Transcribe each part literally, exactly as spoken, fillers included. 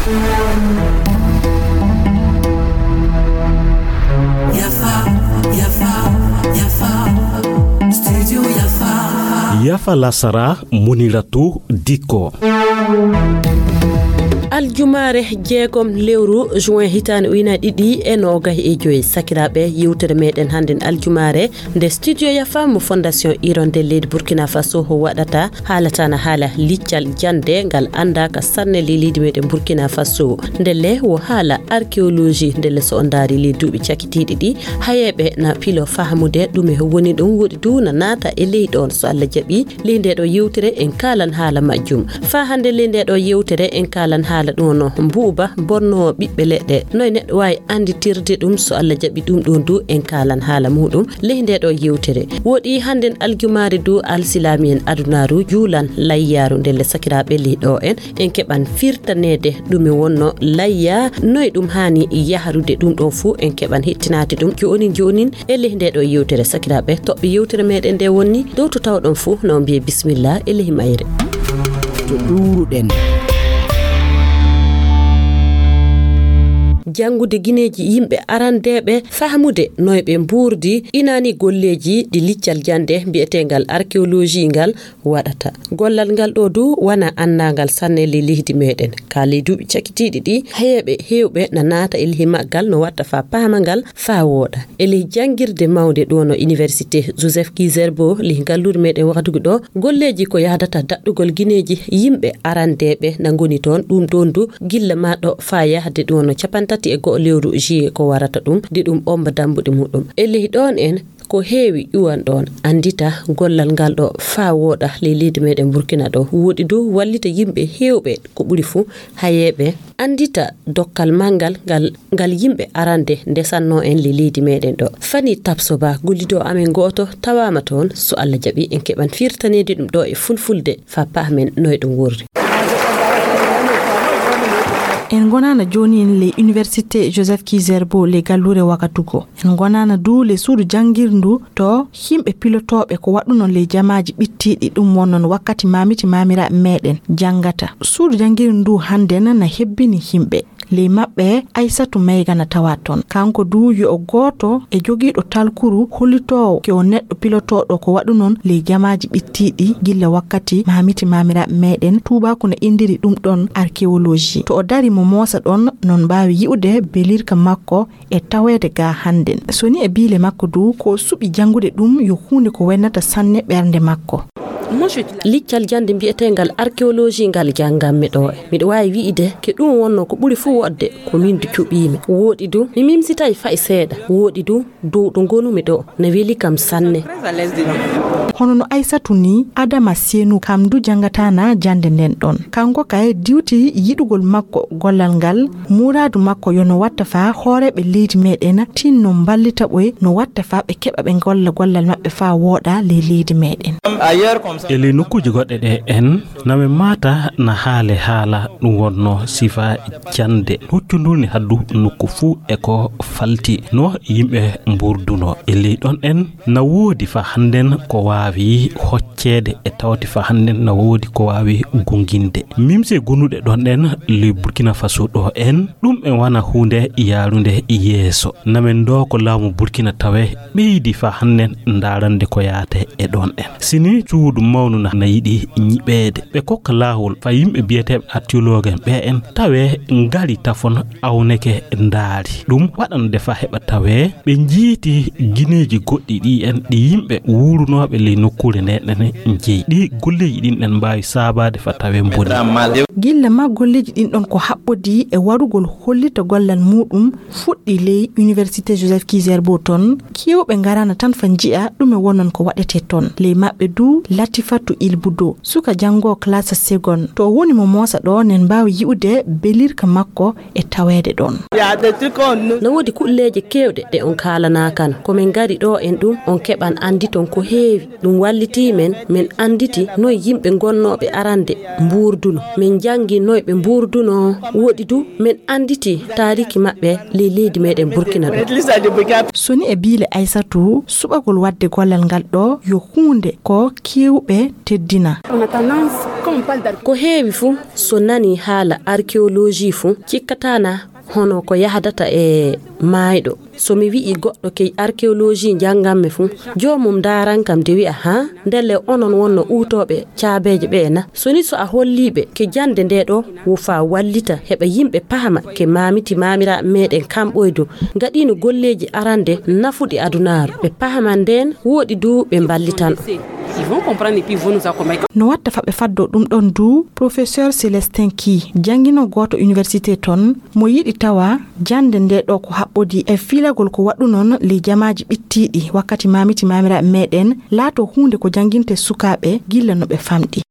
Yafa, yafa, yafa. Studio Yafa. Yafa lasara, Muniratu Diko. Aljumaare jeegom lewru juin hitaande ujunaaji ɗiɗi e noogahi e joy. Sakiraaɓe, yewtere meɗen hannden aljumaare nde Studio Yafa mo Fondation Hirondelle leydi Burkina Faso waɗata, haalata na haala liccal jannde ngal anndaaka sanne ley leydi meɗen Burkina Faso. Ndelle wo haala archéologie, ndelle so on ndaari ley duuɓi cakitiiɗi ɗi, hayeeɓe na pilo fahamude ɗume woni ɗum, woɗi du na naata e ley ɗoon. So Allah jaɓi, ley ndee ɗoo yewtere en kaalan haala majjum. Faa hannde ley ndee ɗoo yewtere en kaalan haala ɗum no mbuuba bonnoowo ɓiɓɓe leɗɗe. Noy neɗɗo waawi annditirde ɗum? So Allah jaɓi, ɗum ɗoon du en kaalan haala muuɗum ley ndee ɗoo yewtere. Woɗi hannden aljumaare du alsilaami en adunaaru juulan layyaaru ndelle sakiraaɓe ley ɗoo en. En keɓan firtaneede ɗume wonno layya, noy ɗum haani yahrude, ɗum ɗoo fuu en keɓan hettinaade ɗum joonin joonin e ley ndee ɗoo yewtere. Sakiraaɓe, toɓɓe yewtere meɗen nde wonni dow to tawɗon fuu, no mbiye bismillah e ley mayre. To ɗuuruɗen. Janngude gineeji yimɓe arandeeɓe, fahmude noy ɓe mbuurdi, inaani golleeji ɗi liccal jannde mbiyeteengal archéologie ngal waɗata. Gollal ngal ɗoo du wona anndaangal sanne ley leydi meɗen. Ka ley duuɓi cakitiiɗi ɗi, heeɓe heewɓe na naata e ley maggal no watta faa paama ngal faa wooɗa. E ley janngirde mawnde ɗoo no Université Joseph Kizerbo ley ngalluure meɗen wakatugu ɗoo, golleeji ko yahdata daɗɗugol gineeji yimɓe arandeeɓe na ngoni toon, ɗum ɗoon du gilla maa ɗo faa yahde ɗoo no capantati e go'o lewru juillet ko warata ɗum, de ɗum omba dambuɗe muɗum. E ley ɗoon en ko heewi ƴuwan ɗoon, anndita gollal ngal ɗo faa wooɗa ley leydi meɗen Burkina ɗo. Woɗi du wallita yimɓe heewɓe, ko ɓuri fuu hayeeɓe, anndita dokkal manngal ngal, ngal yimɓe arande ndesannoo en ley leydi meɗen ɗo. Fani Tapsoba, gollido amen gooto, tawaama toon. So Allah jaɓi, en keɓan firtaneede ɗum ɗo e fulfulde faa pahmen noy ɗum wurri. En ngonaana jooni en ley Université Joseph Kizerbo ley galluure Wakatugo. En ngonaana du ley suudu janngirndu to yimɓe pilotooɓe ko waɗuno ley jamaaji ɓittiiɗi, ɗum wonnon wakkati maamiti maamiraaɓe meɗen janngata. Suudu janngirndu ndu hannden na hebbini yimɓe. Ley maɓɓe, Aysatu Mayga na tawa toon. Kanko du yo o gooto e jogiiɗo talkuru hollitoowo ke o neɗɗo pilotooɗo ko waɗunon ley jamaaji ɓittiiɗi gilla wakkati maamiti maamiraaɓe meɗen. Tuubaaku na inndiri ɗum ɗoon archéologie. To o dari mo moosa ɗoon, non mbaawi yi'ude belirka makko e taweede ga hannden. So ni e biile makko du, ko o suɓi janngude ɗum yo huunde ko wennata sanne ɓernde makko. Liccal jannde mbiyeteengal archéologie ngal janngammi ɗo. Miɗo waawi wi'ide ke ɗum wonno ko ɓuri fuu woɗde ko min du cuɓiimi. Wooɗi du, mi mimsitay fay seeɗa. Wooɗi du, dow ɗo ngonumi ɗo, na weli kam sanne. Hono no Aysatu ni, Adama Seenu kam du janngataana jannde nden ɗon. Kanko kay diwti yiɗugol makko gollal ngal, muraadu makko yo no watta faa hooreeɓe leydi meɗen tinno mballita ɓoy no watta faa ɓe keɓa ɓe ngolla gollal maɓɓe faa wooɗa ley leydi meɗen. E ley nokkuuji goɗɗe ɗe en, na men maata na haale haala ɗum wonno sifa jannde huccundu ni haddu nokku fuu e ko falti no yimɓe mburduno. E ley ɗon en na woodi faa hannden ko waawi hocceede e tawti faa hannden na woodi ko waawi gunginde. Mimse gonuɗe ɗon en ley Burkina Faso ɗo en, ɗum en wana huunde yaarunde yeeso. Na men ɗo ko laamu Burkina tawe ɓeydi faa hannden ndaarande ko yaate e ɗon en. Sini cuudu mawnu na, na yiɗi nyiɓeede. Ɓe kokka laawol faa yimɓe biyeteeɓe archéologue en ɓe en tawe ngari tafon awneke ndaari. Ɗum waɗande faa heɓa tawe ɓe njiiti gineeji goɗɗi ɗi en ɗi yimɓe wuurunooɓe ley nokkuure nde ɗen njeyi. Ɗi golleeji ɗin ɗen mbaawi saabaade faa tawe mboni. Gilla ma golleeji ɗin ɗon ko haɓɓodii e warugol hollita gollal muuɗum fuɗɗi ley Université Joseph Kizerbo ton, kewɓe ngaraana tan fa nji'a ɗume wonon ko waɗetee ton. Ley maɓɓe du Latifatu Ilbudo, suka janngoo classe seconde. To o woni mo moosa ɗo, nen mbaawi yi'ude belirka makko e taweede ɗon. Na woodi kulleeje keewɗe ɗe on kaalanaakan. Ko men ngari ɗo en ɗum, on keɓan annditon ko heewi. Ɗum wallitii men, men annditi noy yimɓe gonnooɓe arande mbuurduno. Men njanngi noy ɓe mbuurduno. Woɗi du, men annditi taariki maɓɓe ley leydi meɗen Burkina ɗo. So ni e biile Aysatu, suɓagol waɗde gollal ngal ɗo yo huunde ko kew-, ɓe teddina. Ko heewi fuu, so nanii haala arkeoloji fuu, cikkataana hono ko yahdata e maayɗo. So mi wi'i goɗɗo ke arkeoloji njannganmi fuu, joomum ndaaran kam de wi'a, "Haa, ndelle onon wonno uutooɓe caabeeje ɓe'e na?" So ni so a holliiɓe ke jannde nde ɗo wo faa wallita heɓa yimɓe pahma ke maamiti maamiraaɓe meɗen kamɓoydu ngaɗiino golleeji arande nafuɗi adunaaru. Ɓe pahman ndeen wooɗi du ɓe mballitan. No watta fa ɓe faddo ɗum ɗon du, Professeur Célestin Ki, janngino gooto université ton, mo yiɗi tawa jannde nde ɗo ko haɓɓodi e fiilagol ko waɗunon ley jamaaji ɓittiiɗi wakkati maamiti maamiraaɓe meɗen, laato huunde ko jannginte sukaaɓe gilla no ɓe famɗi.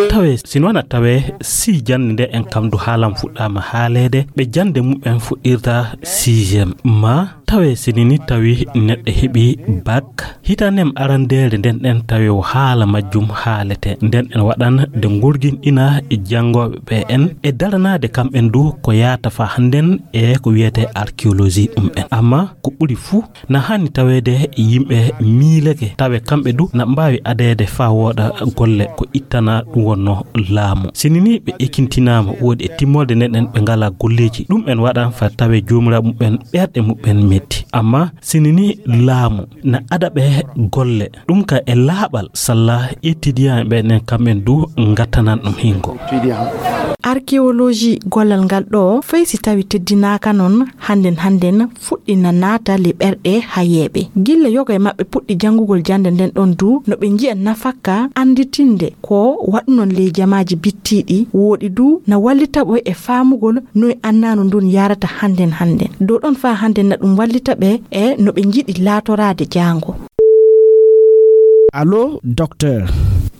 Tawe, si noon a tawe, si jannde nde en kam du haalam fuɗɗaama haaleede, ɓe jannde mum en fuɗɗirta sixième. Ma tawe, si nini tawi neɗɗo heɓi bak, hitanem arandeere nden ɗen tawi o haala majjum haalete. Nden en waɗan de ngurginɗina e janngooɓe ɓe en e daranaade kam en du ko yaata fa hannden e ko wiyetee arkeoloji ɗum en. Amma ko ɓuri fuu, na haani taweede yimɓe miileke, tawe kamɓe du na mbaawi adeede faa wooɗa golle ko ittana ɗum wonno laamu. Si nini ɓe ekintinaama, woodi e timmoode nden en ɓe ngalaa golleeji, ɗum en waɗan faa tawe joomiraaɓe muɓɓen ɓerɗe muɓɓen metti. Amma si nini laamu na ada ɓe golle, ɗum ka e laaɓal salla etidiyaaɓe ɓen en kamɓen du ngattanan ɗum hingo. Arkeoloji gollal ngal ɗo, fay si tawi teddinaaka non, hannden hannden fuɗɗi na naata ley ɓerɗe hayeeɓe. Gilla yoga e maɓɓe puɗɗi janngugol jannde nden ɗon du, no ɓe nji'a nafakka annditinde ko waɗunon ley jamaaji bittiiɗi, wooɗi du na wallita ɓe e faamugol noy annaanu ndun yaarata hannden hannden. Dow ɗon faa hannden na ɗum wallita ɓe e no ɓe njiɗi laatoraade jaango. Allo, docteur.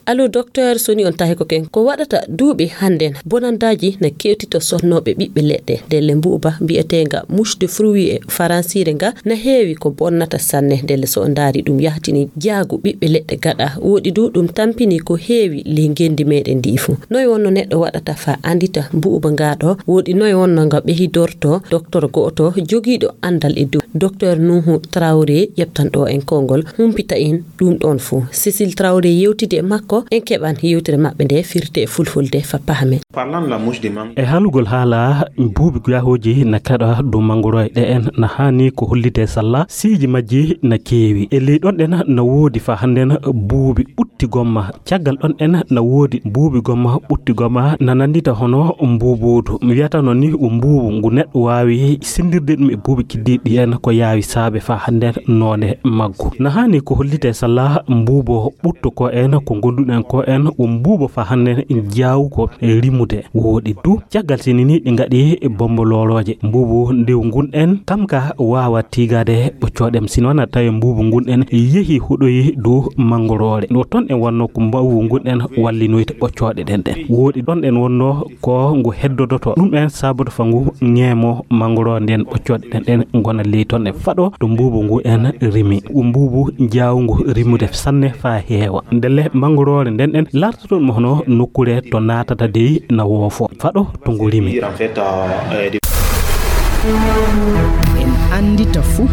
Allo, docteur, so ni on tahi ko ken. Ko waɗata duuɓi hannden, bonandaaji na kewtito sonnooɓe ɓiɓɓe leɗɗe. Ndelle mbuuba mbi'eteenga mouche de fruit e faransiire nga na heewi ko bonnata sanne. Ndelle so on ndaari ɗum yahtini jaagu ɓiɓɓe leɗɗe gaɗa. Wooɗi du ɗum tampini ko heewi ley ngenndi meɗen ndi fuu. Noy wonno neɗɗo waɗata faa anndita mbuuba nga ɗo? Wooɗi noy wonno nga ɓehidorto? Docteur go'oto jogiiɗo anndal e dow. Docteur Nuhu Traoré ƴeptan ɗo en konngol, humpita en ɗum ɗon fuu. Cécile Traoré yewtidi e makko, en keɓan yewtere maɓɓe nde firte e fulfulde fa pahamen. E haalugol haala buubi guyahooji na kaɗa dow manngorooje ɗe en na haani ko hollitee salla siiji majji na keewi. E ley ɗon ɗen na woodi fa hannden buubi ɓutti gomma. Caggal ɗon ɗen na woodi buubi gomma ɓutti gomma na nanndita hono mbuubuudu. Mi wiyata noon ni ko mbuubu ngu neɗɗo waawi senndirde ɗum e buubi kiddiiɗi en ko yaawi saabe faa hannden noone maggu. Na haani ko hollitee salla mbuubo ɓutto ko en ko ngonnduɗen ko en ko mbuubo faa hannden jaawuko rimude. Wooɗi du caggal sini ni ɗi ngaɗi bombo loolooje. Mbuubu ndew ngun en kam ka waawa tiigaade ɓoccooɗe. Sino na tawi mbuubu ngun en yehi huɗoyi dow manngoroore. Ɗo toon en wonno ko mbuubu ngun en wallinoyta ɓoccooɗe ɗen ɗen. Wooɗi ɗon en wonno ko ngu heddodoto. Ɗum en sabude fa ngu ŋeemo manngoroore nden ɓoccooɗe ɗen ɗen ngona ley toon e faɗo to mbuubu ngu en rimi. Ko mbuubu jaawungu rimude sanne faa heewa. Ndelle manngoroore nden ɗen lartoto ɗum hono nokkuure to naatata dey na woofo. Faɗo to ngu rimi. En anndita fuu.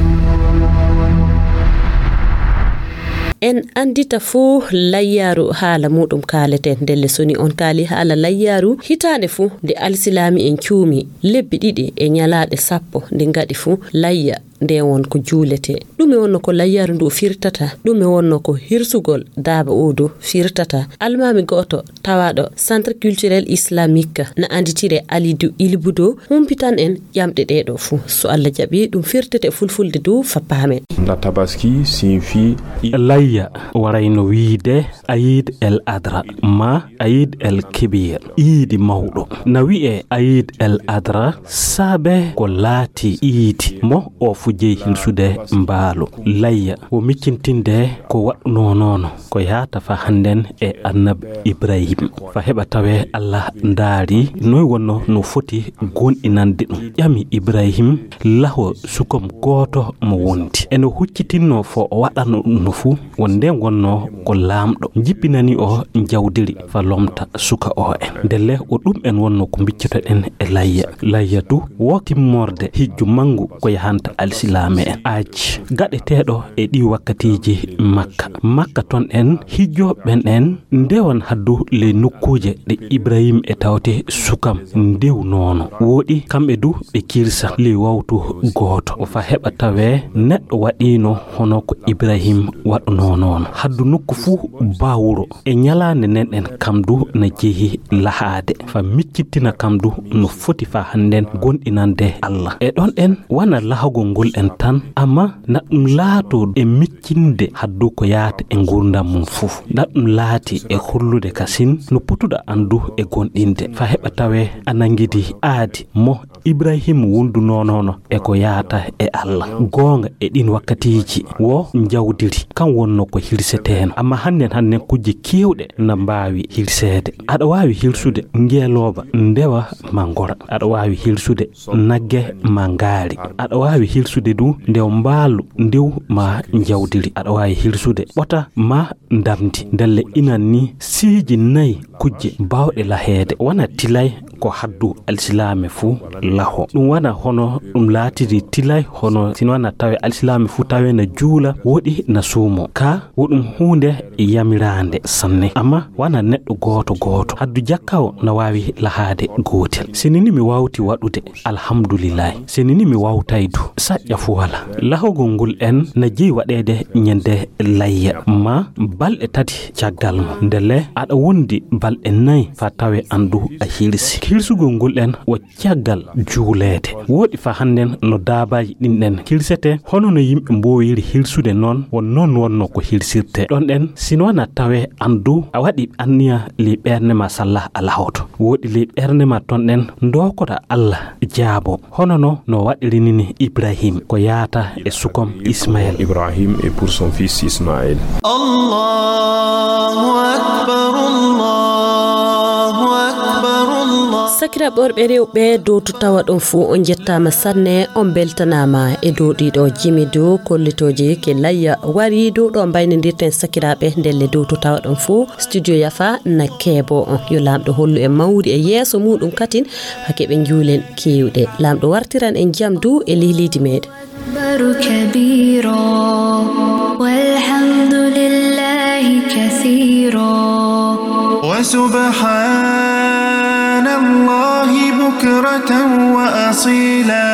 En anndita fuu layyaaru haala muuɗum kaaleten. Ndelle so ni on kaali haala layyaaru, hitaande fuu nde alsilaami en cuumi lebbi ɗiɗi e ñalaaɗe sappo nde ngaɗi fuu layya nde won ko juuletee. Ɗume wonno ko layyaaru ndu firtata? Ɗume wonno ko hirsugol daaba oo du firtata? Almaami go'oto tawaaɗo Centre Culturel Islamique na annditire Alidu Ilbudo, humpitan en ƴamɗe ɗee ɗoo fuu. So Alla jaɓi, ɗum firtete fulfulde du fa paamen. La Tabaski signifie layya, warayno wiide Ayid el Adra ma Ayid el Kebir, iidi mawɗo. Na wi'e Ayid el Adra saabe ko laati iidi mo o fu jeyi hilsude mbaalu. Layya ko miccintinde ko waɗnoo noon ko yaata fa hannden e Annabi Ibrahim. Fa heɓa tawe Alla ndaari noy wonno no foti goonɗinande ɗum. Ƴami Ibrahim laho sukom gooto mo wondi. Eno huccitinnoo fo o waɗano ɗum no fuu, won nden wonnoo ko laamɗo. Jippinani o jawdiri fa lomta suka o en. Ndelle o ɗum en wonnoo ko mbiccotoɗen e layya. Layya du wo timmorde hijju manngu ko yahanta alsi. Silaame en. Aaj gaɗeteeɗo e ɗi wakkatiiji Makka. Makka ton en hijjooɓe ɓen en ndewan haddu ley nokkuuje ɗe Ibrahim e tawte sukam ndew noono. Wooɗi kamɓe du ɓe kirsa ley wawtu gooto. Fa heɓa tawee neɗɗo waɗiino hono ko Ibrahim waɗunoo noon. Haddu nokku fuu baa wuro. E ñalaande nden ɗen kam du na jehi lahaade. Fa miccittina kam du no foti fa hannden gonɗinande Allah. E ɗon ɗen wana lahagol ngol en tan, amma na ɗum laato e miccinde haddu ko yaata e ngurdam mum fuu. Na ɗum laati e hollude kasin no potuɗa anndu e gonɗinde. Fa heɓa tawee a nangidi aadi mo Ibrahim wondunoono e ko yaata e Allah. Goonga e ɗin wakkatiiji wo njawdiri, kan wonno ko hirseteeno. Amma hannden, hannden kujje keewɗe na mbaawi hirseede. Aɗa waawi hirsude ngeelooba ndewa ma ngora. Aɗa waawi hirsude nagge ma ngaari. Aɗa waawi hirsude du ndew mbaalu ndew ma njawdiri. Aɗa waawi hirsude ɓota ma ndamndi. Ndelle inan ni siiji nayi kujje baawɗe laheede. Wona tilay ko haddu alsilaame fuu laho. Ɗum wona hono ɗum laatiri tilay hono sino wona tawe alsilaame fuu tawe na juula, woɗi na suumo. Ka wo ɗum huunde yamiraande sanne. Amma wona neɗɗo gooto gooto. Haddu jakkawo na waawi lahaade gootel. Sinini mi waawti waɗude, alhamdulillahi. Sinini mi waawtay du, saƴƴa fuu wala. Lahogol ngol en na jeyi waɗeede ñande layya, ma balɗe tati caggal mum. Ndelle aɗa wondi balɗe nayi fa tawe an du a hirsi. Hirsugol ngol en wo caggal juuleede. Wooɗi fa hannden no daabaaji ɗin ɗen hirsete, hono no yimɓe mboowiri hirsude noon, won noon wonno ko hirsirte. Ɗon ɗen, sino wona tawe an du a waɗi anniya ley ɓernde ma salla a lahoto. Wooɗi ley ɓernde ma ton ɗen ndokota Allah jaabo. Hono no, no waɗirini Ibrahim ko yaata e sukom Ismael. Ibrahim et pour son fils Ismaël. Allahu akbar, Allahu akbar, Allah. Sakiraaɓe worɓe rewɓe, dow to tawa ɗon fuu on njettaama sanne, on mbeltanaama e dow ɗiɗo jimi dow kollitooji ke layya wari dow ɗo mbaynodirten sakiraaɓe ndelle dow to tawa ɗon fuu studio yafa na keebo on. Yo Laamɗo hollu en mawri e yeeso muuɗum katin, hake ɓe njuulen keewɗe. Laamɗo wartiran en jam dow e lihliiji meɗen. أكبر كبيرا والحمد لله كثيرا وسبحان الله بكرة وأصيلا.